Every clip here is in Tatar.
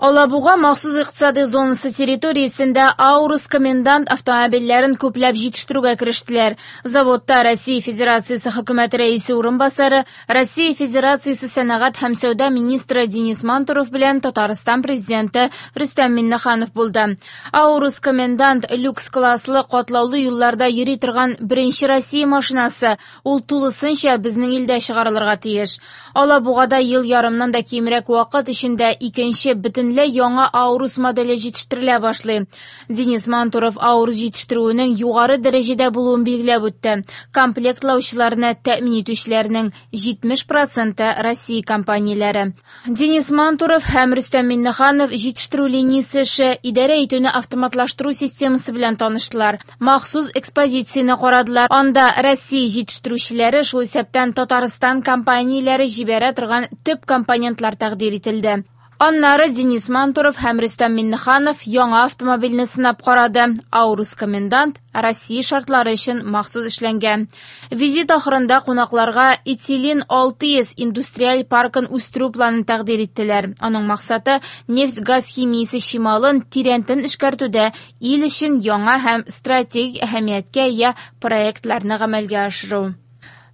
Алабуга махсус икътисади зонасы территориясендә «Аурус Комендант» автомобильләрен күпләп җитештерүгә керештеләр. Заводта Россия Федерациясе Хөкүмәте Рәисе урынбасары, Россия Федерациясе сәнәгать һәм сәүдә министры Денис Мантуров белән Татарстан Президенты Рөстәм Миңнеханов булды. «Аурус Комендант» люкс класслы катлаулы юлларда йөри торган беренче Россия машинасы, ул тулысынча безнең илдә чыгарылырга тиеш. Алабугада ел ярымнан да кимрәк вакыт эчендә икенче бөтенләй яңа «Аурус» моделе җитештерелә башлый. Денис Мантуров «Аурус» җитештерүенең югары дәрәҗәдә булуын билгеләп үтте. Комплектлаучыларны тәэмин итүчеләрнең 70 проценты Россия компанияләре. Денис Мантуров һәм Рөстәм Миңнеханов җитештерү линиясе эше, идарә итүне автоматлаштыру системасы белән таныштылар. Махсус экспозицияне карадылар. Анда Россия җитештерүчеләре, шул исәптән Татарстан компанияләре җибәрә торган төп компонентлар тәкъдир ителде. Аннары Денис Мантуров һәм Рөстәм Миңнеханов яңа автомобильне сынап карады. «Аурус Комендант» Россия шартлары өчен махсус эшләнгән. Визит ахырында кунакларга Этилин 600 индустриаль паркын үстерү планын тәкъдир иттеләр. Аның максаты нефть-газ химиясе чималын тирәнтен эшкәртүдә ил өчен яңа һәм стратегик әһәмияткә ия проектларны гамәлгә ашыру.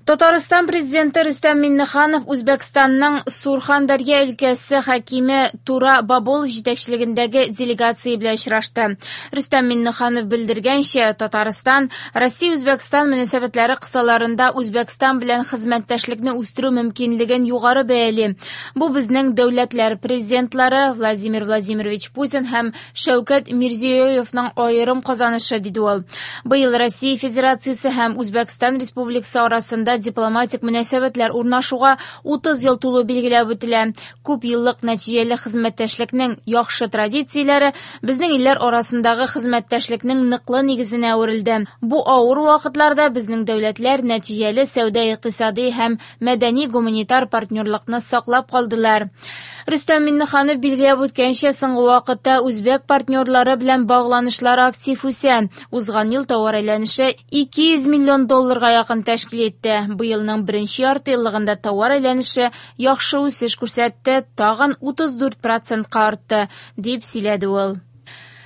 Татарстан Президенты Рөстәм Миңнеханов Үзбәкстанның Сурхандарья өлкәсе хакиме Тура Боболов җитәкчелегендәге делегация белән очрашты. Рөстәм Миңнеханов белдергәнчә, Татарстан Россия-Үзбәкстан мөнәсәбәтләре кысаларында Үзбәкстан белән хезмәттәшлекне үстерү мөмкинлеген югары бәяли. Бу безнең дәүләтләр президентлары Владимир Владимирович Путин һәм Шәүкәт Мирзиёевның аерым казанышы, диде ул. Быел Россия Федерациясе һәм Үзбәкстан Республикасы арасында дипломатик мөнәсәбәтләр урнашуга 30 ел тулу билгеләп үтелә. Күп еллык нәтиҗәле хезмәттәшлекнең яхшы традицияләре безнең илләр арасындагы хезмәттәшлекнең ныклы нигезенә әверелде. Бу авыр вакытларда безнең дәүләтләр нәтиҗәле сәүдә-икътисади һәм мәдәни-гуманитар партнерлыкны саклап калдылар. Рөстәм Миңнеханов билгеләп үткәнчә, соңгы вакытта үзбәк партнерлары белән багланышлар актив үсә. Узган ел товар әйләнеше 200 миллион долларга якын тәшкил итте. Быелның беренче яртыеллыгында товар әйләнеше яхшы үсеш күрсәтте, тагын 34 процентка артты, дип сөйләде ул.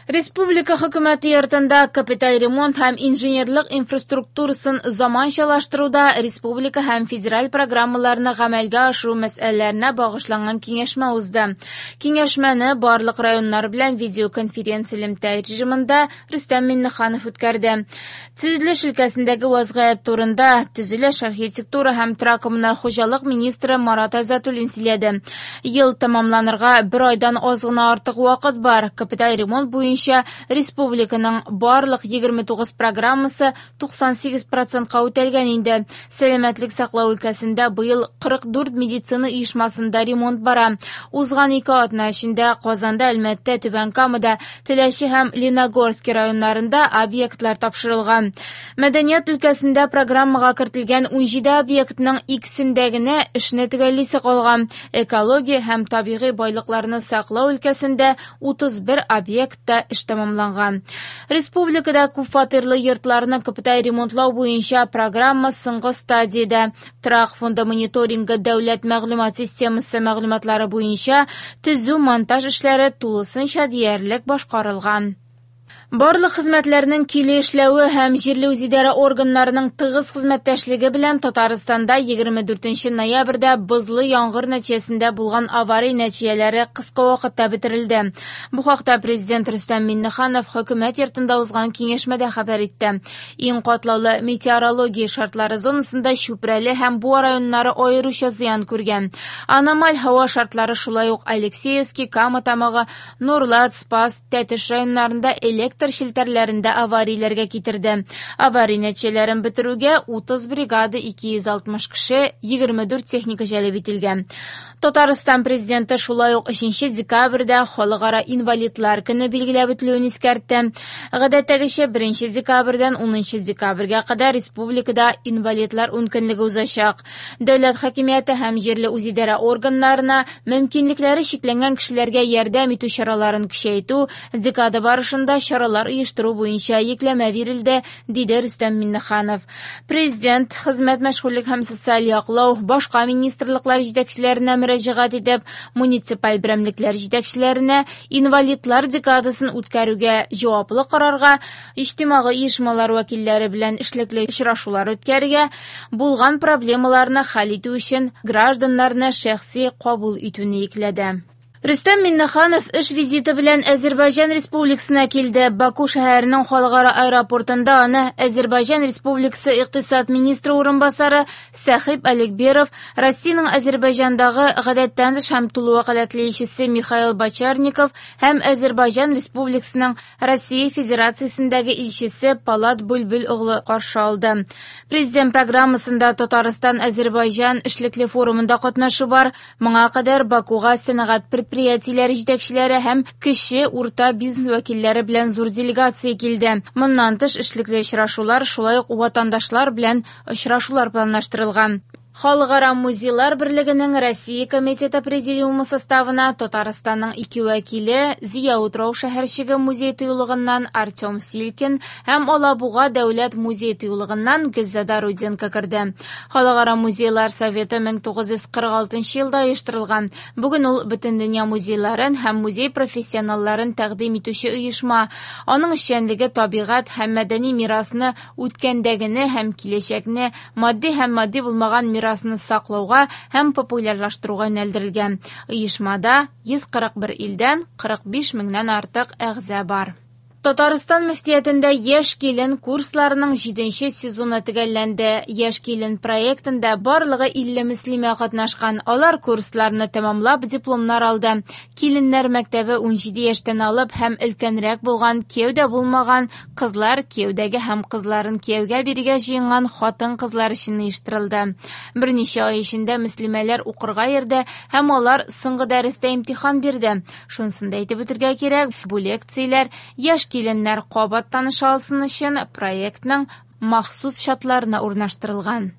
Республика хөкүмәте йортында капиталь ремонт һәм инженерлык инфраструктурасын заманчалаштыруда республика һәм федераль программаларны гамәлгә ашыру мәсьәләләренә багышланган киңәшмә узды. Киңәшмәне барлык районнар белән видеоконференц элемтә режимында Рөстәм Миңнеханов үткәрде. Төзелеш өлкәсендәге вазгыять турында төзелеш, архитектура һәм торак-коммуналь хуҗалык министры Марат Айзатуллин сөйләде. Ел тәмамланырга бер айдан аз гына артык вакыт бар. Капиталь ремонт буенча республиканың барлык 29 программасы 98 процентка үтәлгән инде. Сәламәтлек саклау өлкәсендә быел 44 медицина оешмасында ремонт бара. Узган ике атна эчендә Казанда, Әлмәттә, Түбән Камада, Теләче һәм Лениногорский районнарында объектлар тапшырылган. Мәдәният өлкәсендә программага кертелгән 17 объектның икесендә генә эшне төгәллисе калган. Экология һәм табигый байлыкларны саклау өлкәсендә 31 объектта эш тәмамланган. Республикада күпфатирлы йортларны капиталь ремонтлау буенча программа соңгы стадиядә. Торак фонды мониторингы дәүләт мәгълүмат системасы мәгълүматлары буенча төзү-монтаж эшләре тулысынча диярлек башкарылган. Барлык хезмәтләрнең киле эшләве һәм җирле үзидарә органнарының тыгыз хезмәттәшлеге белән Татарстанда 24 ноябрьдә бозлы яңгыр нәтиҗәсендә булган авария нәтиҗәләре кыска вакытта бетерелде. Бу хакта Президент Рөстәм Миңнеханов хөкүмәт йортында узган киңәшмәдә хәбәр итте. Иң катлаулы метеорология шартлары зонасында Чүпрәле һәм Буа районнары аеруча зыян күргән. Аномаль һава шартлары шулай ук Алексеевский, Кама Тамагы, Нурлат, Спас, Тәтеш районнарында электр челтәрләрендә аварияләргә китерде. Авария нәтиҗәләрен бетерүгә 30 бригада 260 кеше, 24 техника җәлеп ителгән. Татарстан президенты шулай ук 3 декабрьдә Халыкара инвалидлар көне билгеләп үтелүен искәртте. Гадәттәгечә 1 декабрьдән 10 декабрьгә кадәр республикада инвалидлар ункөнлеге узачак. Дәүләт хакимияте һәм җирле үзидарә органнарына мөмкинлекләре чикләнгән кешеләргә ярдәм итү чараларын көчәйтү, декада барышында чаралар оештыру буенча йөкләмә бирелде, диде Рөстәм Миңнеханов. Президент хезмәт, мәшгульлек һәм социаль яклау башка министрлыклар җитәкчеләренә мөрәҗәгать итеп, муниципаль берәмлекләр җитәкчеләренә инвалидлар декадасын үткәрүгә җаваплы карарга, иҗтимагый оешмалар вәкилләре белән эшлекле очрашулар үткәрергә, булган проблемаларны хәл итү өчен гражданнарны шәхси кабул итүне йөкләде. Рөстәм Миңнеханов эш визиты белән Әзербайҗан Республикасына килде. Баку шәһәренең халыкара аэропортында аны Әзербайҗан Республикасы икътисад министры урынбасары Сәхиб Алекберов, Россиянең Әзербайҗандагы гадәттән тыш һәм тулы вәкаләтле илчесе Михаил Бочарников һәм Әзербайҗан Республикасының Россия Федерациясендәге илчесе Полад Бүлбүл оглы каршы алды. Президент программасында Татарстан-Әзербайҗан эшлекле форумында катнашу бар. Моңа кадәр Бакуга сәнәгать предприятиеләре җитәкчеләре һәм кече урта бизнес вәкилләре белән зур делегация килде. Моннан тыш эшлекле очрашулар, шулай ук ватандашлар белән очрашулар планлаштырылган. Халыкара музейлар берлегенең Россия комитеты президиумы составына Татарстанның ике вәкиле Зөя утрау шәһәрчеге музей тыюлыгыннан Артем Силкин һәм Алабуга дәүләт музей тыюлыгыннан Гөлзада Руденко керде. Халыкара музейлар советы 1946 елда оештырылган. Бүген ул бөтендөнья музейларын һәм музей профессионалларын тәкъдим итүче оешма. Аның эшчәнлеге табигать һәм мәдәни мирасны үткәндәгене һәм киләчәкне, матди һәм матди булмаган мирасны саклауга һәм популярлаштыруга юнәлдерелгән. Оешмада 141 илдән 45 меңнән артык әгъза бар. Татарстан мөфтиятендә Яшь килен курсларының 7 сезоны төгәлләнде. Яшь килен проектында барлыгы 50 мөслимә катнашкан. Алар курсларны тәмамлап дипломнар алды. Киленнәр мәктәбе 17 яшьтән алып һәм өлкәнрәк булган, кияүдә булмаган кызлар, кияүдәге һәм кызларын кияүгә бирергә җыенган хатын-кызлар өчен оештырылды. Берничә ай эчендә мөслимәләр укырга йөрде һәм алар соңгы дәрестә имтихан бирде. Шунысын да әйтеп үтергә кирәк, бу лекцияләр яшь киленнәр кабат таныша алсын өчен проектның махсус чатларына урнаштырылган.